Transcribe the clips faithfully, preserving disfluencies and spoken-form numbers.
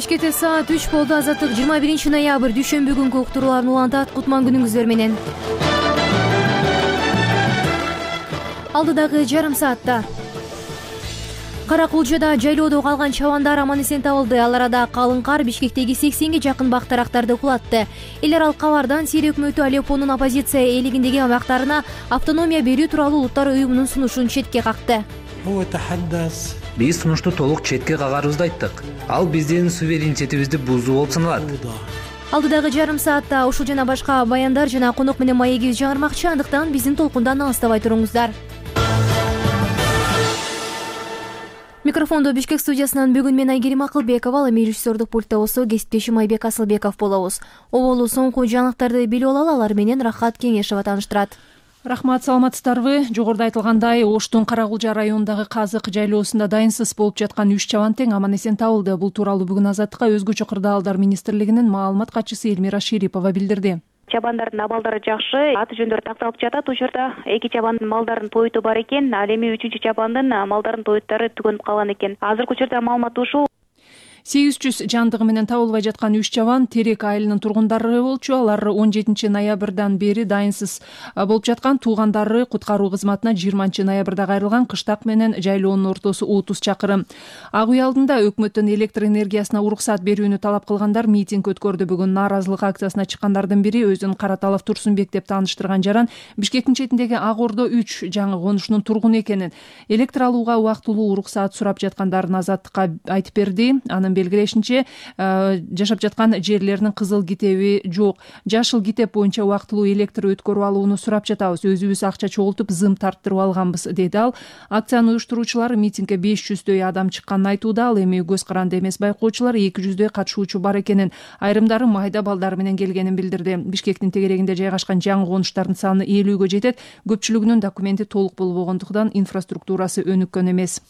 Кечкете саат үч болду. Азаттык жыйырма биринчи ноябрь дүйшөмбү күнгү уктурууларын улантат. Кутман күнүңүздөр менен. Алдыдагы жарым саатта Кара Кулжада жайлоодо калган чабандар аман эсен табылды. Ал арада калың кар Бишкектеги сексенге жакын бак тарактарды кулатты. Эл аралык кабардан Сирия өкмөтү Алеппонун оппозиция ээлигиндеги аймактарына автономия берүү тууралуу Улуттар уюмунун сунушун четке какты. Биз сунушту толук четке кагарыбызды айттык. Ал биздин суверенитетибизди бузуу болуп саналат. Алдыдагы жарым саатта ушул жана башка баяндар жана конок менен маегибиз жаңырмакчы, андыктан биздин толкундан алыстабай туруңуздар. Микрофондо Бишкек студиясынан бүгүн мен Айгерим Акылбекова, ал эми режиссердук пультта болсо кесиптешим Айбек Асылбеков болобуз. Оболу соңку жаңылыктарды билип алалы, алар менен Рахат Кеңешова тааныштырат. Рахмат, саламатсыздарбы? Жогоруда айтылгандай, Оштун Кара Кулжа районундагы Казык жайлоосунда дайынсыз болуп жаткан үч чабан тең аман эсен табылды. Бул тууралуу бүгүн Азаттыкка өзгөчө кырдаалдар министрлигинин маалымат катчысы Элмира Шерипова билдирди. Чабандардын абалдары жакшы, аты жөндөр такталып жатат. Ушул жерде эки чабандын малдарын тойту бар экен, ал эми үчүнчү чабандын малдарын тоюттары түгөнүп калган экен. Азыркы учурда маалымат ушул. сегиз жүз жандыгы менен табылбай жаткан үч чабан Терек айылынын тургундары болчу. Алар он жетинчи ноябрдан бери дайынсыз болуп жаткан. Туугандары куткаруу кызматына жыйырманчы ноябрда кайрылган. Кыштак менен жайлоонун ортосу отуз чакырым. Ак үй алдында өкмөттөн электр энергиясына уруксат берүүнү талап кылгандар митинг өткөрдү. Бүгүн нааразылык акциясына чыккандардын бири өзүн Караталов Турсунбек деп тааныштырган жаран Бишкектин четиндеги Ак Ордо үч жаңы конушунун тургуну экенин, электр алууга убактылуу уруксаат сурап жаткандарын Азаттыкка айтып берди. Анын белгилешинче, жашап жаткан жерлеринин кызыл китеби жок. Жашыл китеп боюнча убактылуу электр өткөрүп алууну сурап жатабыз. Өзүбүз акча чогултуп, зым тарттырып алганбыз, деди ал. Акциянын уюштуруучулары митингге беш жүздөй адам чыкканын айтууда. Ал эми көз каранды эмес байкоочулар эки жүздөй катышуучу бар экенин, айрымдары майда балдар менен келгенин билдирди. Бишкектин тегерегинде жайгашкан жаңы конуштардын саны элүүгө жетет. Көпчүлүгүнүн документи толук болбогондуктан инфраструктурасы өнүккөн эмес.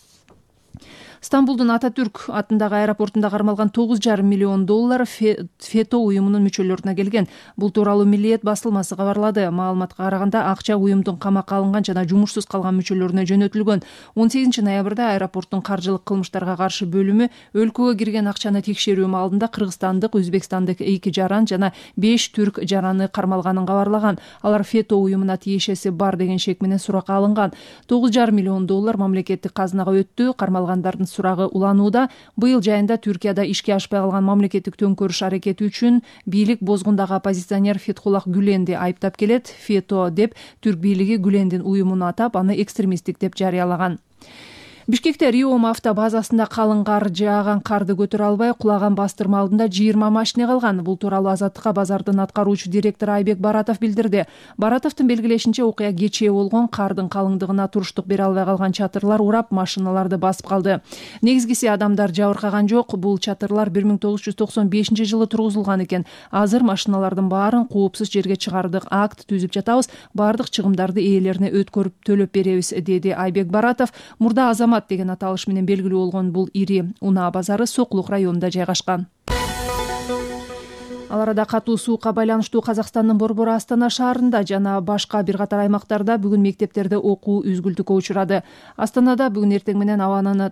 Стамбулдун Ататүрк атындагы аэропортунда кармалган тогуз жарым миллион доллар ФЕТО уюмунун мүчөлөрүнө келген. Бул тууралуу Миллиет басылмасы кабарлады. Маалыматка караганда, акча уюмдун камакка алынган жана жумушсуз калган мүчөлөрүнө жөнөтүлгөн. он сегизинчи ноябрда аэропорттун каржылык кылмыштарга каршы бөлүмү өлкөгө кирген акчаны текшерүү маалында кыргызстандык, өзбекстандык эки жаран жана беш түрк жараны кармалганын кабарлаган. Алар ФЕТО уюмуна тиешеси бар деген шек менен суракка алынган. тогуз жарым миллион доллар мамлекеттик казынага өттү. Кармалгандардын сурагы уланууда. Быйыл жайында Түркияда ишке ашпай калган мамлекеттик төңкөрүш аракети үчүн бийлик бозгундагы оппозиционер Фетхуллах Гүленди айыптап келет. ФЕТО деп түрк бийлиги Гүлендин уюмуну атап, аны экстремисттик деп жарыялаган. Бишкекте Риом автобазасында калың кар жааган карды көтөрө албай кулаган бастырма алдында жыйырма машина калган. Бул тууралуу Азаттыкка базардын аткаруучу директору Айбек Баратов билдирди. Баратовдун белгилешинче, окуя кечээ болгон. Кардын калыңдыгына туруштук бере албай калган чатырлар урап, машиналарды басып калды. Негизгиси адамдар жабыркаган жок. Бул чатырлар бир миң тогуз жүз токсон бешинчи жылы тургузулган экен. Азыр машиналардын баарын коопсуз жерге чыгардык, акт түзүп жатабыз. Бардык чыгымдарды ээлерине өткөрүп төлөп беребиз, деди Айбек Баратов. Мурда Азамат деген аталыш менен белгилүү болгон бул ири унаа базары Сокулук районунда жайгашкан. Ал арада катуу суукка байланыштуу Казакстандын Борбор Астана шаарында жана башка бир катар аймактарда бүгүн мектептерде окуу үзгүлтүккө учурады. Астанада бүгүн эртең менен абанын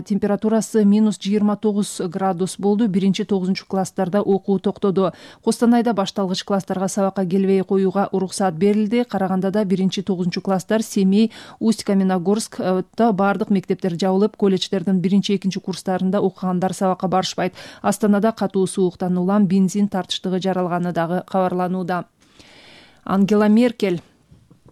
температурасы минус жыйырма тогуз градус болду. Биринчи тогузунчу класстарда окуу токтоду. Костанайда башталгыч класстарга сабакка келбей коюуга уруксат берилди. Карагандада биринчи тогузунчу класстар, Семей, Усть-Каменогорскта бардык мектептер жабылып, колледждердин биринчи экинчи курстарында окугандар сабакка барышпайт. Астанада катуу сууктан улам бензин тартыштыгы жаралганы дагы кабарланууда. Ангела Меркель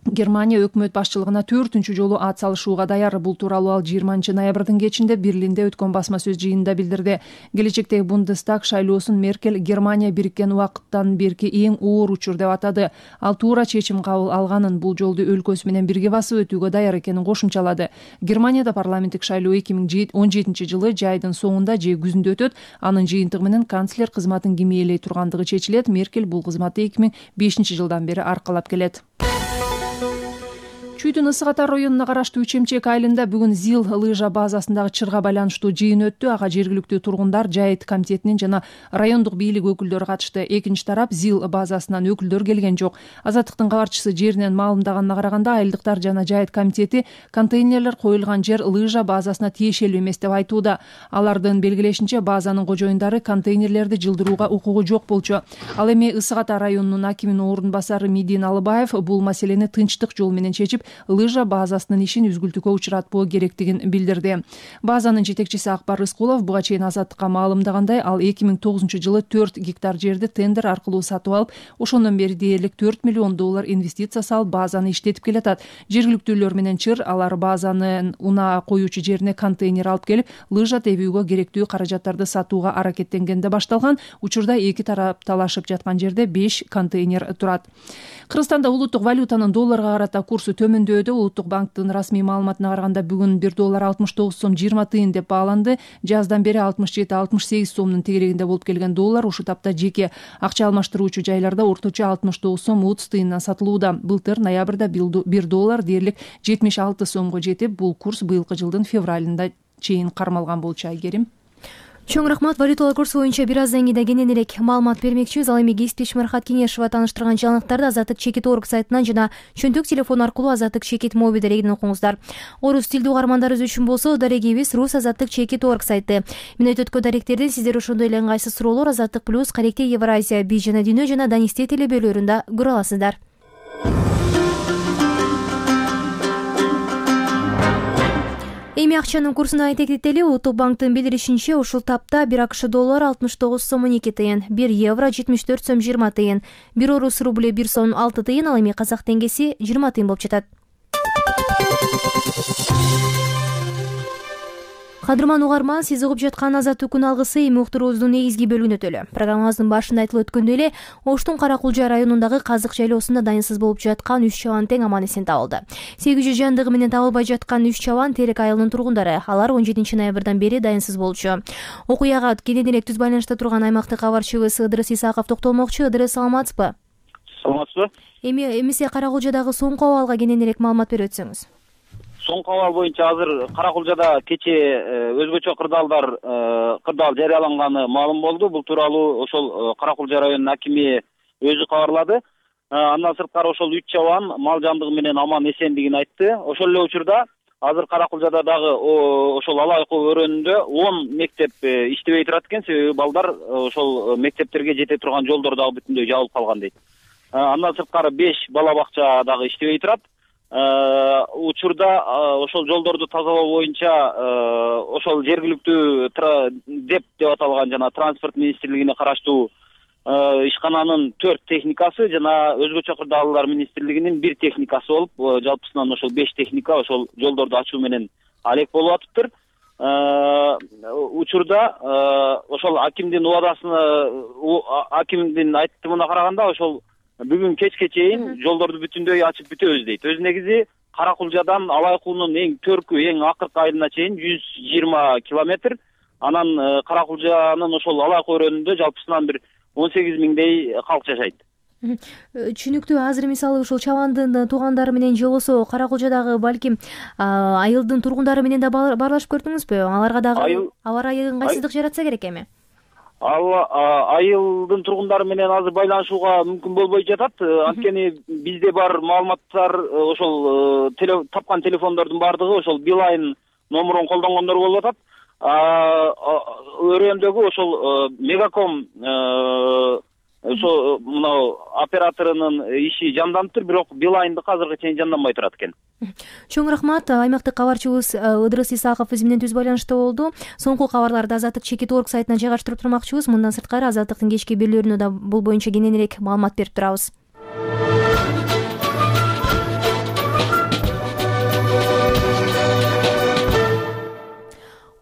Германия өкмөт башчылыгына төртүнчү жолу ат салышууга даяр. Бул тууралуу ал жыйырманчы ноябрдын кечинде Берлинде өткөн басма сөз жыйынында билдирди. Келечектеги Бундестаг шайлоосун Меркель Германия бириккен убакыттан берки эң оор учур деп атады. Ал туура чечим кабыл алганын, бул жолду өлкөсү менен бирге басып өтүүгө даяр экенин кошумчалады. Германияда парламенттик шайлоо эки миң он жетинчи жылы жайдын соңунда же күзүндө өтөт. Анын жыйынтыгы менен канцлер кызматын ким ээлей тургандыгы чечилет. Меркель бул кызматты эки миң бешинчи жылдан бери аркалап келет. Чүйдүн Ысык Ата районуна караштуу Чемчек айылында бүгүн ЗИЛ лыжа базасындагы чырга байланыштуу жыйын өттү. Ага жергиликтүү тургундар, жайыт комитетинин жана райондук бийлик өкүлдөрү катышты. Экинчи тарап ЗИЛ базасынан өкүлдөр келген жок. Азаттыктын кабарчысы жеринен маалымдаганына караганда, айылдыктар жана жайыт комитети контейнерлер коюлган жер лыжа базасына тиешелүү эмес деп айтууда. Алардын белгилешинче, базанын кожоюндары контейнерлерди жылдырууга укугу жок болчу. Ал эми Ысык Ата районунун акиминин орун басары Мидин Алыбаев бул маселени тынчтык жол менен чечип, лыжа базасынын ишин үзгүлтүүгө учуратпоо керектигин билдирди. Базанын жетекчиси Акбар Рыскулов буга чейин Азаттыкка маалымдагандай, ал эки миң тогузунчу жылы төрт гектар жерди тендер аркылуу сатып алып, ошондон бери дээрлик төрт миллион доллар инвестиция салып, базаны иштетип келатат. Жергиликтүүлөр менен чыр алар базанын унаа коюучу жерине контейнер алып келип, лыжа тебүүгө керектүү каражаттарды сатууга аракеттенгенде башталган. Учурда эки тарап талашып жаткан жерде беш контейнер турат. Кыргызстанда улуттук валютанын долларга карата курсу төмөндөдү. Улуттук банктын расмий маалыматына караганда, бүгүн бир доллар алтымыш тогуз сом жыйырма тыйын деп бааланды. Жаздан бери алтымыш жети алтымыш сегиз сомдун тегерегинде болуп келген доллар ушу тапта жеке акча алмаштыруучу жайларда орточо алтымыш тогуз сом отуз тыйындан сатылууда. Былтыр ноябрда бир доллар дээрлик жетимиш алты сомго жетип, бул курс быйылкы жылдын февралында чейин кармалган болчу. Айгерим. Чоң рахмат. Валюталар курсу боюнча бир аздан кийин кененирээк маалымат бермекчибиз. Ал эми кесиптеш Мирхат Кеңешова тааныштырган жаңылыктарды Азаттык чекит точка орг сайтынан жана чөнтөк телефон аркылуу Азаттык чекит моби дарегинен окуңуздар. Орус тилдүү угармандарыбыз үчүн болсо, дарегибиз рус Азаттык чекит точка орг сайты. Мүнөт өткөн даректерден сиздер ошондой эле ыңгайсыз суроолор Азаттык плюс, Каректе Евразия, Би жана Дүйнө жана Данисте телебөлөрүндө көрө аласыздар. Эми акчанын курсун айтектели. Улуттук банктын билдиришинче, ушул тапта бир АКШ доллар алтымыш тогуз сом он эки тыйын, бир евро жетимиш төрт сом жыйырма тыйын, бир орус рубль бир сом алты тыйын, ал эми казак теңгеси жыйырма тыйын болуп жатат. Кадырман угарман, сиз угуп жаткан Азаттык күн алгысы эми уктуруубуздун негизги бөлүгүнө өтөлү. Программабыздын башында айтылып өткөндөй эле, Оштун Каракулжа районундагы Казык жайлоосунда дайынсыз болуп жаткан үч чабан тең аман эсен табылды. сегиз жүз жандыгы менен табылбай жаткан үч чабан Терек айылынын тургундары. Алар он жетинчи ноябрдан бери дайынсыз болчу. Окуяга кененирээк түз байланышта турган аймактык кабарчыбыз Ыдырыс Исаков токтолмокчу. Ыдырыс, саламатсызбы? Саламатсызбы. Эми эмесе Каракулжадагы соңку абалга кененирээк маалымат берип өтсөңүз. Соңку абал боюнча азыр Каракулжада кече өзгөчө кырдаалдар кырдаал жарыяланганы маалым болду. Бул тууралуу ошол Каракулжа районунун акими өзү кабарлады. Андан сырткары ошол үч чабан мал жандыгы менен аман эсендигин айтты. Ошол эле учурда азыр Каракулжада дагы ошол Алайкуу өрөөнүндө он мектеп иштебей турат экен. Себеби балдар ошол мектептерге жете турган жолдор дагы бүтүндөй жабылып калган дейт. Андан сырткары беш бала бакча дагы иштебей турат. Учурда ошол жолдорду тазалоо боюнча ошол жергиликтүү деп деп аталган жана транспорт министрлигине караштуу ишкананын төрт техникасы жана өзгөчө кырдаалдар министрлигинин бир техникасы болуп, жалпысынан ошол беш техника ошол жолдорду ачуу менен алек болуп атыптыр. Учурда ошол акимдин убадасына акимдин айтымына караганда, ошол бүгүн кечке чейин жолдорду бүтүндөй ачып бүтөбүз дейт. Өз негизи Каракулжадан Алайкуунун эң төркү, эң акыркы айылына чейин жүз жыйырма километр. Анан Каракулжанын ошол Алайкуу өрөөнүндө жалпысынан бир он сегиз миңдей калк жашайт. Түшүнүктүү. Азыр мисалы ушул чабандын туугандары менен же болбосо Каракулжадагы балким айылдын тургундары менен да баарлашып көрдүңүзбү? Аларга дагы аба ырайы ыңгайсыздык жаратса керек эми. Ал айылдын тургундары менен азыр байланышууга мүмкүн болбой жатат. Анткени бизде бар маалыматтар ошол тапкан телефондордун баардыгы ошол Билайн номурун колдонгондор болуп атат. Өрөөндөгү ошол Мегаком ошо мына операторунун иши жанданыптыр, бирок Билайндыкы азыркы чейин жанданбай турат экен. Чоң рахмат. Аймактык кабарчыбыз Ыдырыс Исаков биз менен түз байланышта болду. Соңку кабарларды Азаттык чекит точка орг сайтынан жайгаштырып турмакчыбыз. Мындан сырткары Азаттыктын кечки берүүлөрүнө да бул боюнча кененирээк маалымат берип турабыз.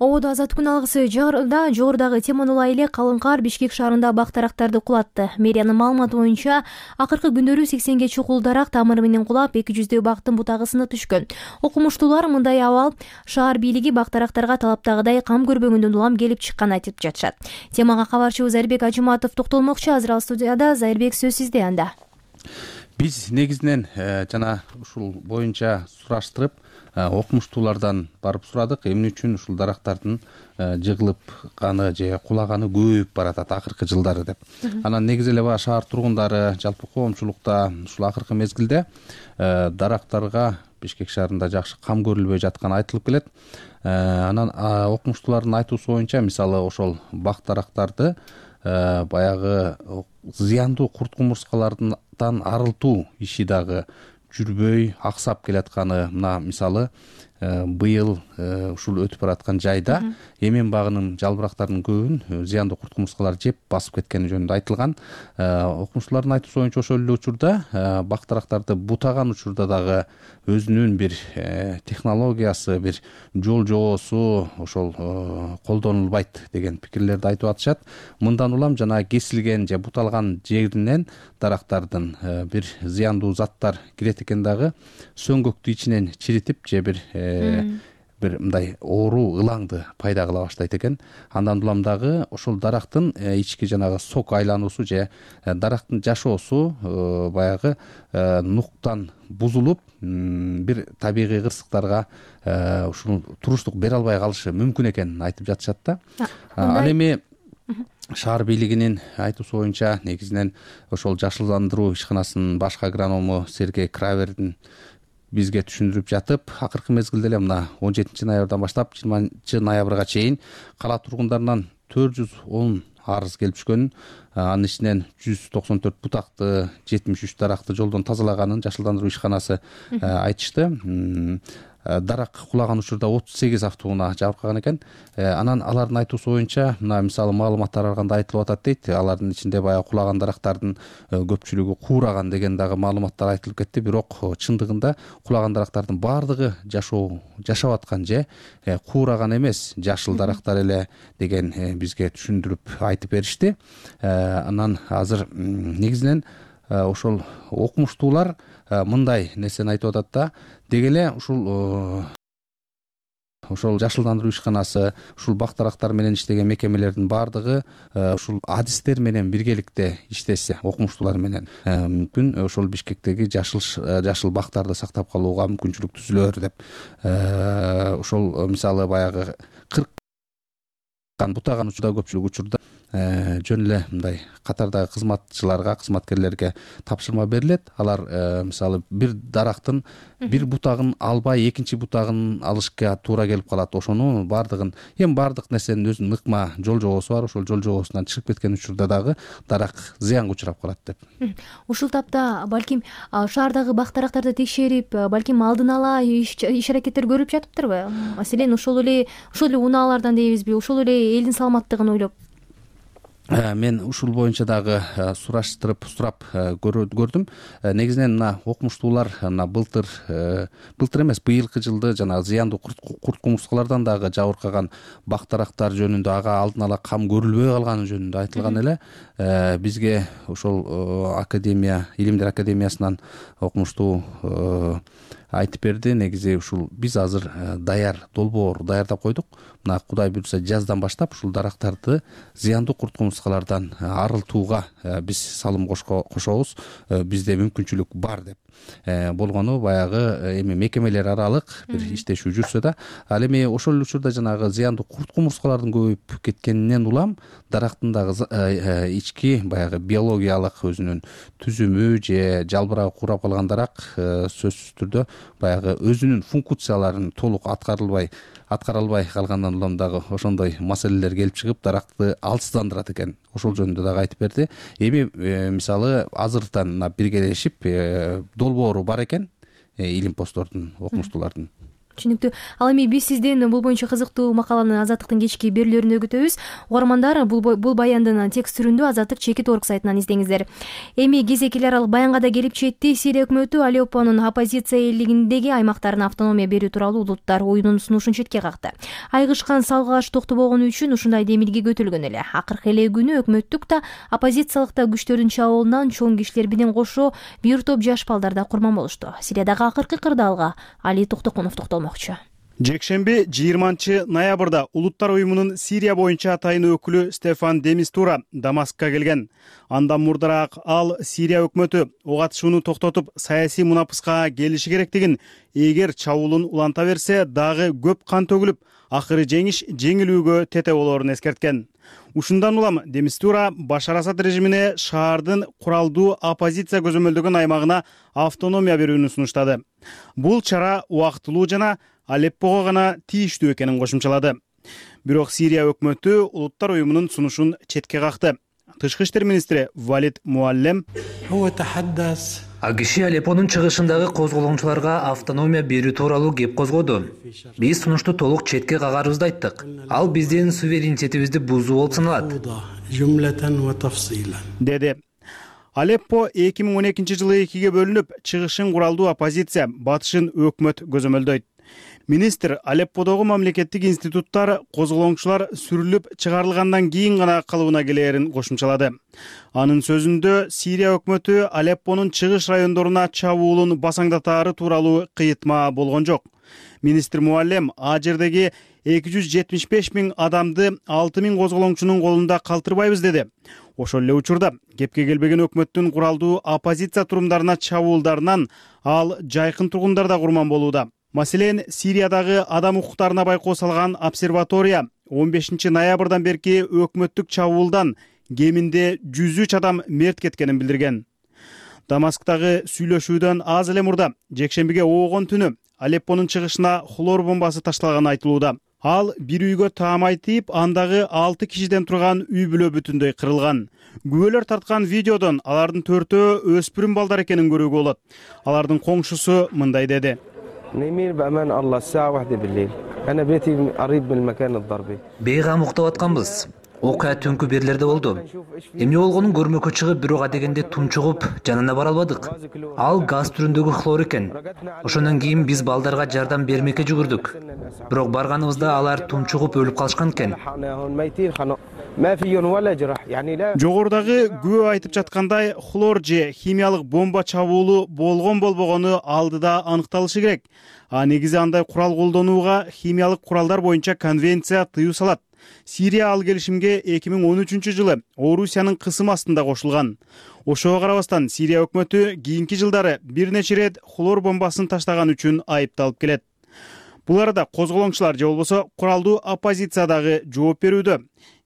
Ободо Азаттык күн алгысы жогоруда жогорудагы теманы улай эле калың кар Бишкек шаарында бак дарактарды кулатты. Мэриянын маалыматы боюнча акыркы күндөрү сексенге чукул дарак тамыры менен кулап, эки жүздөй бактын бутагы сынып түшкөн. Окумуштуулар мындай абал шаар бийлиги бак дарактарга талаптагыдай кам көрбөгөндөн улам келип чыкканын айтып жатышат. Темага кабарчыбыз Зайырбек Ажыматов токтолмокчу. Азыр ал студияда. Зайырбек, сөз сизде анда. биз негизинен жана ушул боюнча сураштырып окумуштуулардан барып сурадык, эмне үчүн ушул дарактардын жыгылыпканы же кулаганы көбөйүп баратат акыркы жылдары деп. Анан негизи эле баягы шаар тургундары, жалпы коомчулукта ушул акыркы мезгилде дарактарга Бишкек шаарында жакшы кам көрүлбөй жатканы айтылып келет. Анан окумуштуулардын айтуусу боюнча, мисалы ошол бак дарактарды баягы зыяндуу курт кумурскалардан арылтуу иши дагы жүрбөй, аксап келатканы. Мына мисалы быйыл ушул өтүп бараткан жайда эмен багынын жалбырактарынын көбүн зыяндуу курт кумурскалар жеп басып кеткени жөнүндө айтылган. Окумуштуулардын айтуусу боюнча ошол эле учурда бак дарактарды бутаган учурда дагы өзүнүн бир технологиясы, бир жол жоосу ошол колдонулбайт деген пикирлерди айтып атышат. Мындан улам жана кесилген же буталган жеринен дарактардын бир зыяндуу заттар кирет экен дагы сөңгөктү ичинен чиритип же бир бир мындай оору ылаңды пайда кыла баштайт экен. Андан улам дагы ошол дарактын ички жанагы сок айлануусу же дарактын жашоосу баягы нуктан бузулуп бир табигый кырсыктарга ушул туруштук бере албай калышы мүмкүн экенин айтып жатышат да. Ал эми шаар бийлигинин айтуусу боюнча негизинен ошол жашылдандыруу ишканасынын башкы агроному Сергей Кравердин бизге түшүндүрүп жатып, акыркы мезгилде эле мына он жетинчи ноябрдан баштап жыйырманчы ноябрга чейин кала тургундарынан төрт жүз он арыз келип түшкөнүн, анын ичинен жүз токсон төрт бутакты, жетимиш үч даракты жолдон тазалаганын жашылдандыруу ишканасы айтышты. Дарак кулаган учурда отуз сегиз автоунаа жабыркаган экен. Анан алардын айтуусу боюнча, мына мисалы маалыматтар арканда айтылып атат дейт. Алардын ичинде баягы кулаган дарактардын көпчүлүгү куураган деген дагы маалыматтар айтылып кетти. Бирок чындыгында кулаган дарактардын баардыгы жашоо жашап аткан же куураган эмес, жашыл дарактар эле деген бизге түшүндүрүп айтып беришти. Анан азыр негизинен ошол окумуштуулар мындай нерсени айтып атат да, деги эле ушул ошол жашылдандыруу ишканасы, ушул бак дарактар менен иштеген мекемелердин баардыгы ушул адистер менен биргеликте иштесе, окумуштуулар менен мүмкүн ошол Бишкектеги жашыл жашыл бактарды сактап калууга мүмкүнчүлүк түзүлөр деп. Ошол мисалы баягы кырк бутаган учурда көпчүлүк учурда жөн эле мындай катардагы кызматчыларга, кызматкерлерге тапшырма берилет. Алар мисалы бир дарактын бир бутагын албай экинчи бутагын алышка туура келип калат. Ошону баардыгын, эми баардык нерсенин өзүнүн ыкма жол жобосу бар. Ошол жол жобосунан чыгып кеткен учурда дагы дарак зыянга учурап калат деп. Ушул тапта балким шаардагы бак дарактарды текшерип, балким алдын ала иш аракеттер көрүлүп жатыптырбы? Маселен, ошол эле ошол эле унаалардан дейбизби? Ошол эле элдин саламаттыгын ойлоп. Мен ушул боюнча дагы сураштырып, сурап көрдүм. Негизинен мына окумуштуулар мына былтыр, былтыр эмес, быйылкы жылды жанагы зыяндуу курт кумурскалардан дагы жабыркаган бак дарактар жөнүндө ага алдын ала кам көрүлбөй калганы жөнүндө айтылган эле. Бизге ошол академия, илимдер академиясынан окумуштуу айтып берди. Негизи ушул биз азыр даяр долбоор даярдап койдук. Мына Кудай буйрса жаздан баштап ушул дарактарды зыяндуу курт кумурскалардан арылтууга биз салым кошобуз. Бизде мүмкүнчүлүк бар деп. Болгону баягы эми мекемелер аралык бир иштешүү жүрсө да, ал эми ошол учурда жанагы зыяндуу курт кумурскалардын көбөйүп кеткенинен улам дарактын дагы ички баягы биологиялык өзүнүн түзүмү же жалбырагы куурап калган дарак сөзсүз түрдө баягы өзүнүн функцияларын толук аткарылбай аткара албай калгандан улам дагы ошондой маселелер келип чыгып, даракты алсыздандырат экен. Ошол жөнүндө дагы айтып берди. Эми мисалы азыртан биргелешип долбоору бар экен илимпоздордун, окумуштуулардын. Түшүнүктүү. Ал эми биз сизден бул боюнча кызыктуу макаланы Азаттыктын кечки берүүлөрүндө күтөбүз. Угармандар, бул бул баяндын текст түрүндө Азаттык чекит орг сайтынан издеңиздер. Эми кезек эл аралык баянга да келип жетти. Сирия өкмөтү Алеппонун оппозиция элдигиндеги аймактарына автономия берүү тууралуу улуттар оюнун сунушун четке какты. Айгышкан салгылаш токтобогону үчүн ушундай демилге көтөлгөн эле. Акыркы эле күнү өкмөттүк да, оппозициялык да күчтөрдүн чабуулунан чоң кишилер менен кошо бир топ жаш балдар да курман болушту. Сириядагы акыркы кырдаалга Али Токтокунов токтолмокчу. Жекшемби жыйырманчы ноябрда Улуттар уюмунун Сирия боюнча атайын өкүлү Стефан де Мистура Дамаскка келген. Андан мурдараак ал Сирия өкмөтү ок атышууну токтотуп, саясий мунапыска келиши керектигин, эгер чабуулун уланта берсе, дагы көп кан төгүлүп, акыры жеңиш жеңилүүгө тете болоорун эскерткен. Ушундан улам де Мистура Башар Асад режимине шаардын куралдуу оппозиция көзөмөлдөгөн аймагына автономия берүүнү сунуштады. Бул чара убактылуу жана Алеппого гана тийиштүү экенин кошумчалады. Бирок Сирия өкмөтү Улуттар уюмунун сунушун четке какты. Тышкы иштер министри Валид Муаллем А киши Алеппонун чыгышындагы козголоңчуларга автономия берүү тууралуу кеп козгоду. Биз сунушту толук четке кагарыбызды айттык. Ал биздин суверенитетибизди бузуу болуп саналат, деди. Алеппо эки миң он экинчи жылы экиге бөлүнүп, чыгышын куралдуу оппозиция, батышын өкмөт көзөмөлдөйт. Министр Алепподогу мамлекеттик институттар козголоңчулар сүрүлүп чыгарылгандан кийин гана калыбына келээрин кошумчалады. Анын сөзүндө Сирия өкмөтү Алеппонун чыгыш райондоруна чабуулун басаңдатаары тууралуу кыйытма болгон жок. Министр Муаллем а жердеги эки жүз жетимиш беш миң адамды алты миң козголоңчунун колунда калтырбайбыз деди. Ошол эле учурда кепке келбеген өкмөттүн куралдуу оппозиция турумдарына чабуулдарынан ал жайкын тургундар да курман болууда. Маселен, Сириядагы адам укуктарына байкоо салган обсерватория он бешинчи ноябрдан берки өкмөттүк чабуулдан кеминде жүз үч адам мерт кеткенин билдирген. Дамасктагы сүйлөшүүдөн аз эле мурда жекшембиге оогон түнү Алеппонун чыгышына хлор бомбасы ташталганы айтылууда. Ал бир үйгө таамай тийип, андагы алты кишиден турган үй бүлө бүтүндөй кырылган. Күбөлөр тарткан видеодон алардын төртөө өспүрүм балдар экенин көрүүгө болот. Алардын коңшусу мындай деди: Бейгам уктап атканбыз. Окуя түнкү берлерде болду. Эмне болгонун көрмөккө чыгып, бирок адегенде тунчугуп, жанына бара албадык. Ал газ түрүндөгү хлор экен. Ошондон кийин биз балдарга жардам бермекке жүгүрдүк. Бирок барганыбызда алар тунчугуп өлүп калышкан экен. Жогорудагы күбө айтып жаткандай, хлор же химиялык бомба чабуулу болгон болбогону алдыда аныкталышы керек. А негизи андай курал колдонууга химиялык куралдар боюнча конвенция тыюу салат. Сирия ал келишимге эки миң он үчүнчү жылы Орусиянын кысым астында кошулган. Ошого карабастан Сирия өкмөтү кийинки жылдары бир нече ирет хлор бомбасын таштаган үчүн айыпталып келет. Бул арада козголоңчулар же болбосо куралдуу оппозиция дагы жооп берүүдө.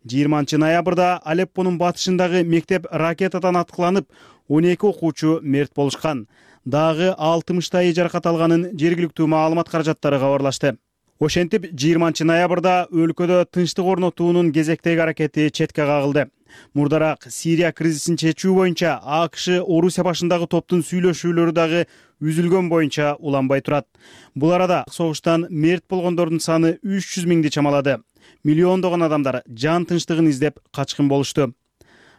жыйырманчы ноябрда Алеппонун батышындагы мектеп ракетадан аткыланып, он эки окуучу мерт болушкан. Дагы алтымыштайы жаракат алганын жергиликтүү маалымат каражаттары кабарлашты. Ошентип, жыйырманчы ноябрда өлкөдө тынчтык орнотуунун кезектеги аракети четке кагылды. Мурдараак Сирия кризисин чечүү боюнча АКШ Орусия башындагы топтун сүйлөшүүлөрү дагы үзүлгөн боюнча уланбай турат. Бул арада согуштан мерт болгондордун саны үч жүз миңди чамалады. Миллиондогон адамдар жан тынчтыгын издеп качкын болушту.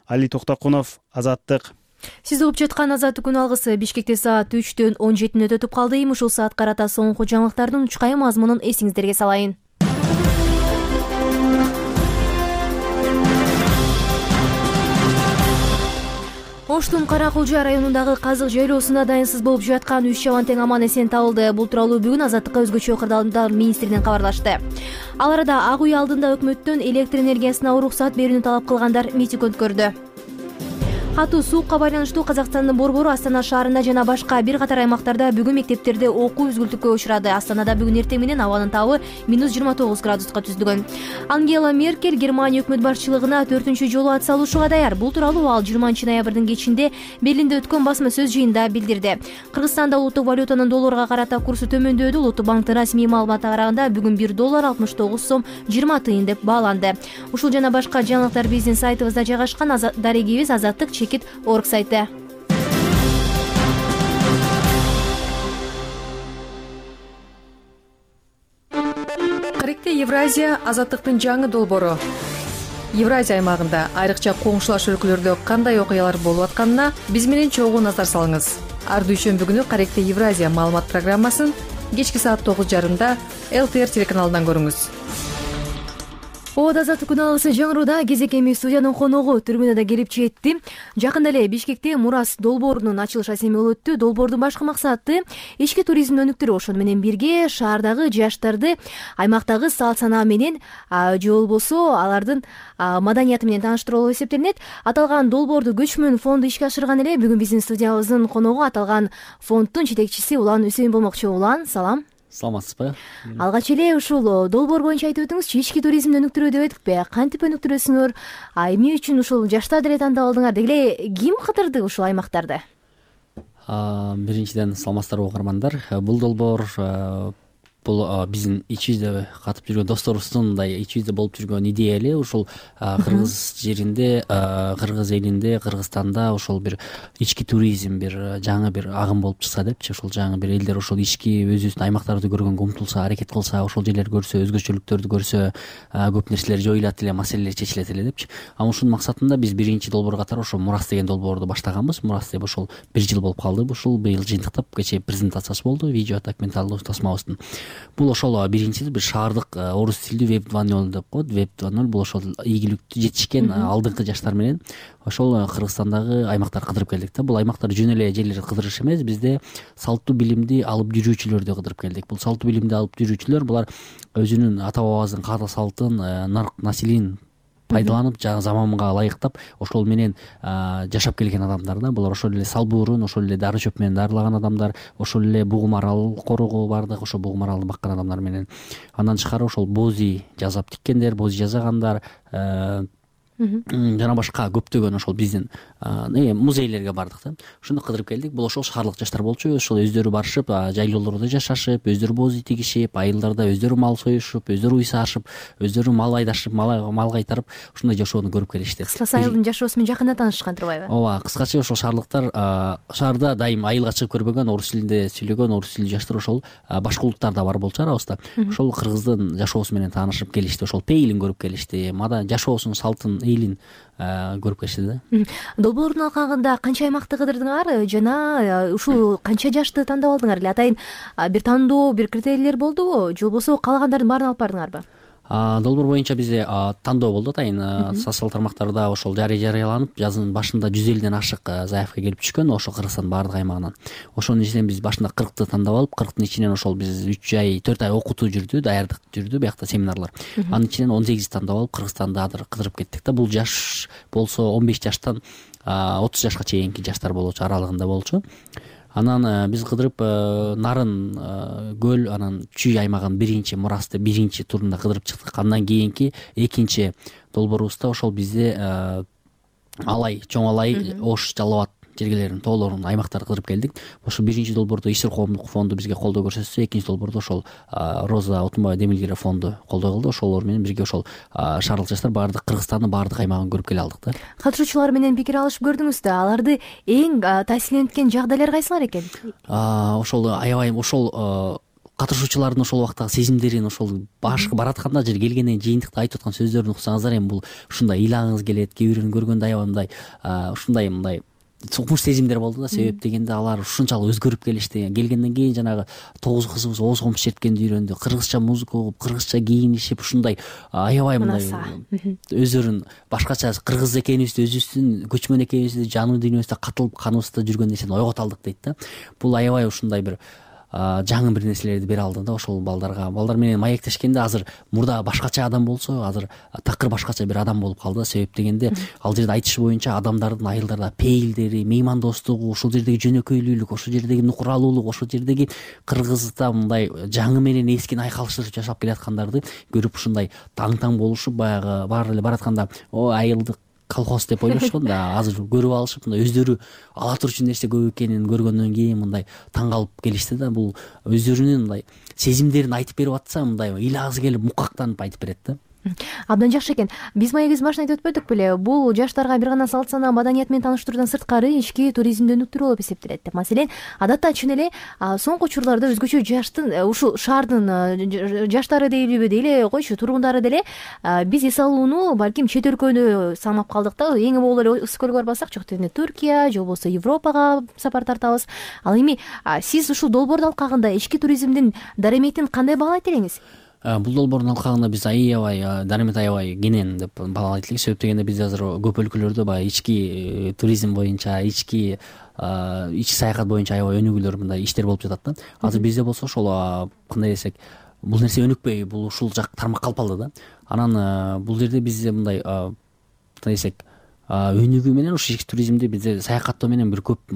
Али Токтокунов, Азаттык. Сиз угуп жаткан Азаттык күн алгысы Бишкекте саат үчтөн он жетине өтүп калды. Ушул саат карата соңку жаңылыктардын учкай мазмунун эсиңиздерге салайын. Оштун Каракулжа районундагы казык жайлоосунда дайынсыз болуп жаткан үч чабан тең аман эсен табылды. Бул тууралуу бүгүн Азаттыкка өзгөчө кырдаалдар министринен кабарлашты. Ал арада Ак үй алдында өкмөттөн электр энергиясына уруксат берүүнү талап кылгандар митинг өткөрдү. Катуу суукка байланыштуу Казакстандын борбору Астана шаарында жана башка бир катар аймактарда бүгүн мектептерде окуу үзгүлтүккө учурады. Астанада бүгүн эртең менен абанын табы минус жыйырма тогуз градуска түздүгөн. Ангела Меркель Германия өкмөт башчылыгына төртүнчү жолу ат салышууга даяр. Бул тууралуу ал жыйырманчы ноябрдын кечинде Берлинде өткөн басма сөз жыйынында билдирди. Кыргызстанда улуттук валютанын долларга карата курсу төмөндөдү. Улуттук банктын расмий маалыматына караганда бүгүн бир доллар алтымыш тогуз сом жыйырма тыйын деп бааланды. Ушул жана башка жаңылыктар биздин сайтыбызда жайгашкан. Дарегибиз Азаттык чекит орг сайты. Каректе Евразия Азаттыктын жаңы долбоору. Евразия аймагында айрыкча коңшулаш өлкөлөрдө кандай окуялар болуп атканына биз менен чогуу назар салыңыз. Ар дүйшөмбү күнү Каректе Евразия маалымат программасын кечки саат тогуз жарымда эл тэ эр телеканалынан көрүңүз. ооба, азаттык күналысы жаңырууда кезекеми студиянын коногу түрмүнө да келип жетти. Жакында эле Бишкекте Мурас долбоорунун ачылыш асеми болуп өттү. Долбоордун башкы максаты ички туризмди өнүктүрүү, ошону менен бирге шаардагы жаштарды аймактагы салт санаа менен же болбосо алардын маданияты менен тааныштыруу болуп эсептелинет. Аталган долбоорду Көчмөн фонду ишке ашырган эле. Бүгүн биздин студиябыздын коногу аталган фонддун жетекчиси Улан Үсейин болмокчу. Улан, салам. Саламатсызбы? Алгач эле ушул долбоор боюнча айтып өтүңүзчү, ички туризмди өнүктүрүү деп эдикпи? Кантип өнүктүрөсүңөр? Эмне үчүн ушул жаштар деле тандап алдыңар? Деги эле ким кыдырды ушул аймактарды? Биринчиден саламатсыздарбы угармандар. Бул долбоор бул биздин ичибизде катып жүргөн досторубуздун мындай ичибизде болуп жүргөн идея эле. Ушул кыргыз жеринде, кыргыз элинде, Кыргызстанда ошол бир ички туризм бир жаңы бир агым болуп чыкса депчи, ошол жаңы бир элдер ошол ички өзүбүздүн аймактарды көргөнгө умтулса, аракет кылса, ошол жерлерди көрсө, өзгөчөлүктөрдү көрсө, көп нерселер жоюлат эле, маселелер чечилет эле депчи. Ана ушунун максатында биз биринчи долбоор катары ошол Мурас деген долбоорду баштаганбыз. Мурас деп ошол бир жыл болуп калды. Ушул быйыл жыйынтыктап кечээ презентациясы болду, видео документалдуу тасмабыздын. Бул ошол биринчиси бир шаардык орус тилдүү веб два ноль деп коет. веб два ноль бул ошол ийгиликтүү жетишкен алдыңкы жаштар менен ошол Кыргызстандагы аймактарды кыдырып келдик да. Бул аймактар жөн эле жерлерди кыдырыш эмес, бизде салтуу билимди алып жүрүүчүлөрдү кыдырып келдик. Бул салтуу билимди алып жүрүүчүлөр булар өзүнүн ата бабабыздын каада салтын, нарк населин пайдаланып, жаңы заманга ылайыктап, ошол менен жашап келген адамдар да. Булар ошол эле салбуурун, ошол эле дары чөп менен дарылаган адамдар, ошол эле бугум арал корого бардык, ошол бугум аралды баккан адамдар менен. Андан тышкары ошол бози жасап тиккендер, бози жасагандар, жана башка көптөгөн ошол биздин музейлерге бардык да. Ошондо кыдырып келдик. Бул ошол шаарлык жаштар болчу. Ошол өздөрү барышып, жайлоолордо жашашып, өздөрү бози тигишип, айылдарда өздөрү мал союшуп, өздөрү уй саашып, өздөрү мал айдашып, мал кайтарып, ушундай жашоону көрүп келишти. Кыскасы айылдын жашоосу менен жакында таанышкан турбайбы? Ооба, кыскача ошол шаарлыктар шаарда дайым айылга чыгып көрбөгөн, орус тилинде сүйлөгөн, орус тилдүү жаштар ошол башка улуттар да бар болчу арабызда. Ошол кыргыздын жашоосу менен таанышып келишти, ошол пейилин көрүп келишти, мадан жашоосун, салтын, эйлин көрүп келишти да. Долбоордун алкагында канча аймакты кыдырдыңар жана ушул канча жашты тандап алдыңар эле? Атайын бир тандоо, бир критерийлер болдубу же болбосо каалагандардын баарын алып бардыңарбы? Долбоор боюнча бизде тандоо болду. Атайын социалдык тармактарда ошол жарыяланып, жазынын башында жүз элүүдөн ашык заявка келип түшкөн ошол Кыргызстандын баардык аймагынан. Ошонун ичинен биз башында кыркты тандап алып, кырктын ичинен ошол биз үч ай, төрт ай окутуу жүрдү, даярдык жүрдү, биякта семинарлар. Анын ичинен он сегизди тандап алып, Кыргызстанда азыр кыдырып кеттик да. Бул жаш болсо он беш жаштан отуз жашка чейинки жаштар болчу, аралыгында болчу. Анан биз кыдырып Нарын көл, анан Чүй аймагын биринчи Мурасты биринчи турунда кыдырып чыктык. Андан кийинки экинчи долбоорубузда ошол бизде Алай, Чоң Алай, Ош, Жалал Абад жергелерин, тоолорун, аймактарды кыдырып келдик. Ошол биринчи долбоордо Исир коомдук фонду бизге колдоо көрсөтсө, экинчи долбоордо ошол Роза Отунбаева Демилгерев фонду колдоо кылды. Ошолор менен бирге ошол шаарлык жаштар баардык Кыргызстандын баардык аймагын көрүп келе алдык да. Катышуучулар менен пикир алышып көрдүңүз да. Аларды эң таасирленткен жагдайлар кайсылар экен? Ошол аябай ошол катышуучулардын ошол убактагы сезимдерин, ошол башкы баратканда же келгенден жыйынтыкта айтып аткан сөздөрүн уксаңыздар, эми бул ушундай ыйлагыңыз келет, кээ бирөөнү көргөндө аябай мындай ушундай мындай сукмуш сезимдер болду да. Себеп дегенде алар ушунчалык өзгөрүп келишти. Келгенден кийин жанагы тогуз кызыбыз ооз комуз черткенди үйрөндү, кыргызча музыка угуп, кыргызча кийинишип, ушундай аябай мындай өздөрүн башкача кыргыз экенибизди, өзүбүздүн көчмөн экенибизди жанын дүйнөбүздө катылып каныбызда жүргөн нерсени ойгото алдык дейт да. Бул аябай ушундай бир жаңы бир нерселерди бере алды да ошол балдарга. Балдар менен маектешкенде азыр мурда башкача адам болсо, азыр такыр башкача бир адам болуп калды. Себеп дегенде ал жерде айтышы боюнча адамдардын айылдарда пейилдери, меймандостугу, ошол жердеги жөнөкөйлүүлүк, ошол жердеги нукуралуулук, ошол жердеги кыргызда мындай жаңы менен эскини айкалыштырып жашап келаткандарды көрүп ушундай таң-таң болушуп, баягы баары эле баратканда о айылдык колхоз деп ойлошкон да. Азыр көрүп алышып, мындай өздөрү ала турчу нерсе көп экенин көргөндөн кийин мындай таң калып келишти да. Бул өздөрүнүн мындай сезимдерин айтып берип атса, мындай ыйлагысы келип мукактанып айтып берет да. Абдан жакшы экен. Биз маегибиздин башында айтып өтпөдүк беле? Бул жаштарга бир гана салт санаа, маданият менен тааныштыруудан сырткары ички туризмди өнүктүрүү болуп эсептелет деп. Маселен, адатта чын эле соңку учурларда өзгөчө жаштын, ушул шаардын жаштары дейлиби, дейле койчу тургундары деле биз эс алууну балким чет өлкөнү самап калдык да. Эң боло эле ысык көлгө барбасак, жок дегенде Түркия же болбосо Европага сапар тартабыз. Ал эми сиз ушул долбоордун алкагында ички туризмдин дараметин кандай баалайт элеңиз? бул долбоордун алкагында биз аябай дарамат аябай кенен деп бала айтып элек. Себеп дегенде биз азыр көп өлкөлөрдө баягы ички туризм боюнча, ички ички саякат боюнча аябай өнүгүүлөр мындай иштер болуп жатат да. Азыр бизде болсо ошол кандай десек, бул нерсе өнүкпөй, бул ушул жак тармак калып калды да. Анан бул жерде бизде мындай кандай десек, өнүгүү менен ушу ички туризмди бизде саякаттоо менен бир көп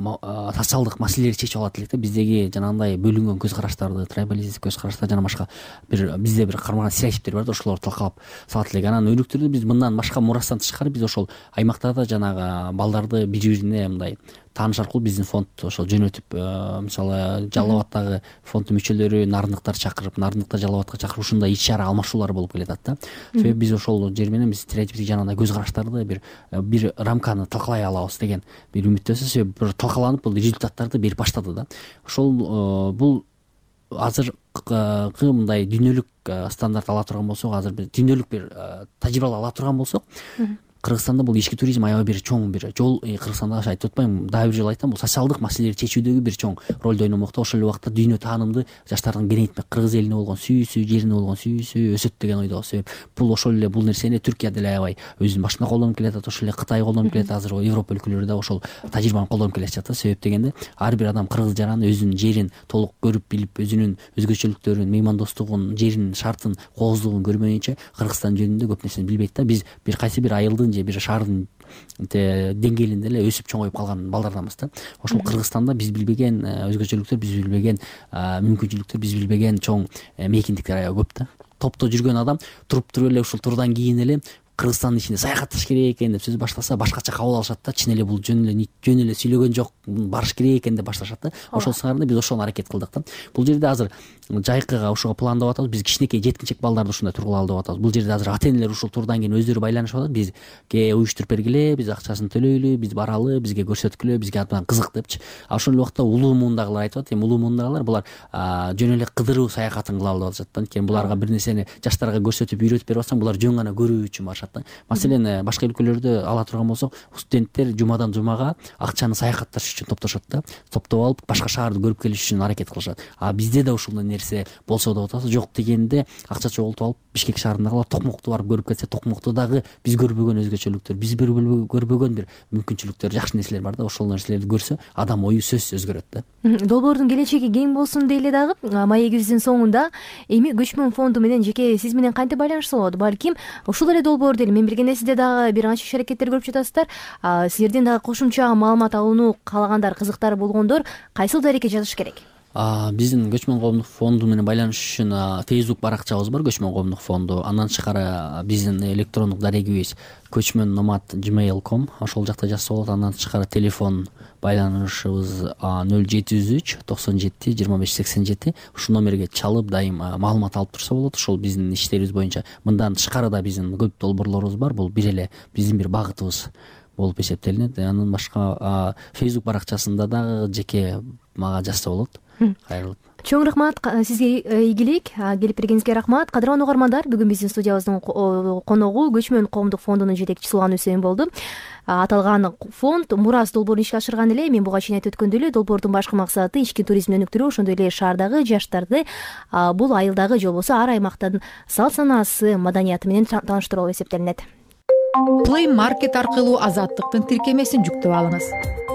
социалдык маселелерди чечип алат элек да. Биздеги жанагындай бөлүнгөн көз караштарды, трайбалистик көз караштар жана башка бир бизде бир кармаган стереотиптер бар да, ошолорду талкалап салат элек. Анан өнүктүрдү биз мындан башка мурастан тышкары биз ошол аймактарда жанагы балдарды бири бирине мындай тааныш аркылуу биздин фонд ошол жөнөтүп, мисалы Жалал Абаддагы фонддун мүчөлөрү нарындыктарды чакырып, нарындыктар Жалал Абадка чакырып ушундай иш чара алмашуулар болуп келатат да. Себеби биз ошол жер менен биз стереотиптик жанагындай көз караштарды бир бир рамканы талкалай алабыз деген бир үмүттөбүз. Себеби бир талкаланып бул результаттарды берип баштады да. Ошол бул азыркы мындай дүйнөлүк стандарт ала турган болсок, азыр биз дүйнөлүк бир тажрыйба ала турган болсок, Кыргызстанда бул ички туризм аябай бир чоң бир жол. Кыргызстанда айтып атпайм, дагы бир жолу айтам, бул социалдык маселелерди чечүүдөгү бир чоң ролду ойномокто. Ошол эле убакта дүйнө таанымды жаштардын кеңейтмек, кыргыз элине болгон сүйүүсү, жерине болгон сүйүүсү өсөт деген ойдобуз. Себеп бул ошол эле бул нерсени Түркия деле аябай өзүнүн башында колдонуп келатат, ошол эле Кытай колдонуп келатат, азыр Европа өлкөлөрү да ошол тажрыйбаны колдонуп келе жатат. Себеп дегенде ар бир адам кыргыз жараны, өзүнүн жерин толук көрүп билип, өзүнүн өзгөчөлүктөрүн, меймандостугун, жеринин шартын, кооздугун көрмөйүнчө Кыргызстан жөнүндө көп нерсени билбейт да. Биз бир кайсы бир айылдын же бир шаардын деңгээлинде эле өсүп чоңоюп калган балдарданбыз да. Ошол Кыргызстанда биз билбеген өзгөчөлүктөр, биз билбеген мүмкүнчүлүктөр, биз билбеген чоң мейкиндиктер аябай көп да. Топто жүргөн адам туруп туруп эле ушул турдан кийин эле Кыргызстандын ичинде саякатташ керек экен деп сөз баштаса, башкача кабыл алышат да. Чын эле бул жөн эле жөн эле сүйлөгөн жок, барыш керек экен деп башташат да. Ошол сыңарында биз ошону аракет кылдык да. Бул жерде азыр жайкыга ушуга пландап атабыз. Биз кичинекей жеткинчек балдарды ушундай тургулалы деп атабыз. Бул жерде азыр ата-энелер ушул турдан кийин өздөрү байланышып атат. Бизге уюштуруп бергиле, биз акчасын төлөйлү, биз баралы, бизге көрсөткүлө, бизге абдан кызык депчи. А ошол эле убакта улуу муундагылар айтып атат. Эми улуу муундагылар булар жөн эле кыдыруу саякатын кылалы деп атышат да. Анткени буларга бир нерсени жаштарга көрсөтүп үйрөтүп берип атсаң, булар жөн гана көрүү үчүн барышат да. Маселен башка өлкөлөрдө ала турган болсок, студенттер жумадан жумага акчаны саякатташ үчүн топтошот да. Топтоп алып башка шаарды көрүп келиш үчүн аракет кылышат. А бизде да ушундай нерсе болсо деп атабыз. Жок дегенде акча чогултуп алып Бишкек шаарындагылар Токмокту барып көрүп кетсе, Токмокто дагы биз көрбөгөн өзгөчөлүктөр, биз көрбөгөн бир мүмкүнчүлүктөр, жакшы нерселер бар да. Ошол нерселерди көрсө, адам ою сөзсүз өзгөрөт да. Долбоордун келечеги кең болсун дейле дагы. Маегибиздин соңунда эми көчмөн фонду менен жеке сиз менен кантип байланышса болот? Балким ушул эле долбоорду эле мен билгендей сизде дагы бир канча иш аракеттер көрүп жатасыздар. Силерден дагы кошумча маалымат алууну каалагандар, кызыктары болгондор кайсыл дарекке жазыш керек? Биздин көчмөн коомдук фонду менен байланышыш үчүн Facebook баракчабыз бар, көчмөн коомдук фонду. Андан тышкары биздин электрондук дарегибиз көчмөн номад gmail точка ком, ошол жакта жазса болот. Андан тышкары телефон байланышыбыз нөл жети жүз үч токсон жети жыйырма беш сексен жети. Ушул номерге чалып дайым маалымат алып турса болот. Ошол биздин иштерибиз боюнча. Мындан тышкары да биздин көп долбоорлорубуз бар. Бул бир эле биздин бир багытыбыз болуп эсептелинет. Андан башка Facebook баракчасында дагы жеке мага жазса болот. Кайрылып. Чоң рахмат сизге, ийгилик, келип бергениңизге рахмат. Кадырлуу угармандар, бүгүн биздин студиябыздын коногу көчмөн коомдук фондунун жетекчиси Сулган Үсейин болду. Аталган фонд мурас долбоорун ишке ашырган эле. Мен буга чейин айтып өткөндөй эле, долбоордун башкы максаты ички туризмди өнүктүрүү, ошондой эле шаардагы жаштарды бул айылдагы же болбосо ар аймактын салт санаасы, маданияты менен тааныштыруу болуп эсептелинет. Play Market аркылуу Азаттыктын тиркемесин жүктөп алыңыз.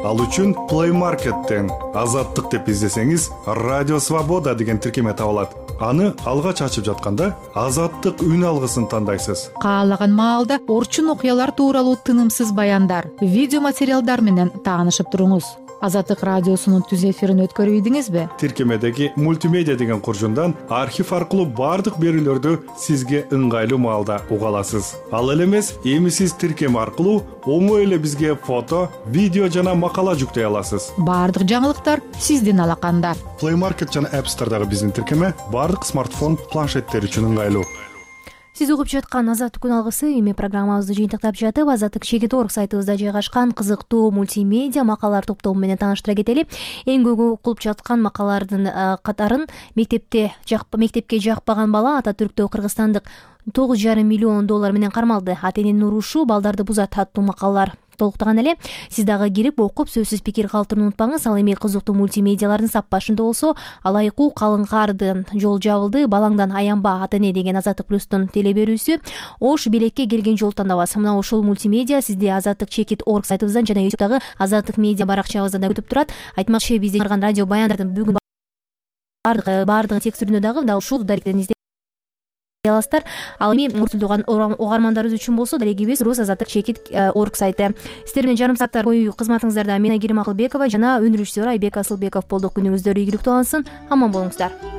Ал үчүн Play Market'тен Азаттык деп издесеңиз, Радио Свобода деген тиркеме табылат. Аны алгач ачып жатканда Азаттык үн алгысын тандайсыз. Каалаган маалда орчун окуялар тууралуу тынымсыз баяндар, видео материалдар менен таанышып туруңуз. Азаттык радиосунун түз эфирин өткөрүп ийдиңизби? Тиркемедеги мультимедиа деген куржундан архив аркылуу бардык берүүлөрдү сизге ыңгайлуу маалда уга аласыз. Ал эле эмес, эми сиз тиркеме аркылуу оңой эле бизге фото, видео жана макала жүктөй аласыз. Бардык жаңылыктар сиздин алаканда. Play Market жана App Store'дагы биздин тиркеме бардык смартфон, планшеттер үчүн ыңгайлуу. Сиз угуп жаткан Азаттык күн алгысы эми программабызды жыйынтыктап жатып, Азаттык чекит орг сайтыбызда жайгашкан кызыктуу мультимедиа макалалар топтому менен тааныштыра кетели. Эң көп окулуп жаткан макалалардын катарын мектепте мектепке жакпаган бала Ататүрктө кыргызстандык тогуз жарым миллион доллар менен кармалды. Ата эненин урушу балдарды бузат аттуу макалалар толуктаган эле. Сиз дагы кирип окуп сөзсүз пикир калтырууну унутпаңыз. Ал эми кызыктуу мультимедиялардын сап башында болсо алайкуу калың кардын жол жабылды, балаңдан аянба ата эне деген Азаттык плюстун теле берүүсү. Ош белекке келген жол тандабас. Мына ушул мультимедиа сизди азаттык чекит орг сайтыбыздан жана ютубтагы Азаттык медиа баракчабыздан да күтүп турат. Айтмакчы бизде чыгарган радио баяндардын бүгүн баардыгы текстүрүндө дагы мына ушул даректерин издей аласыздар. Ал эми муртулдуган угармандарыбыз үчүн болсо дарегибиз рус азаттык чекит орг сайты. Сиздер менен жарым сааттар бою кызматыңыздарда мен Айгерим Акылбекова жана өнүрүүчүсү Айбек Асылбеков болдук. Күнүңүздөр ийгиликтүү алынсын. Аман болуңуздар.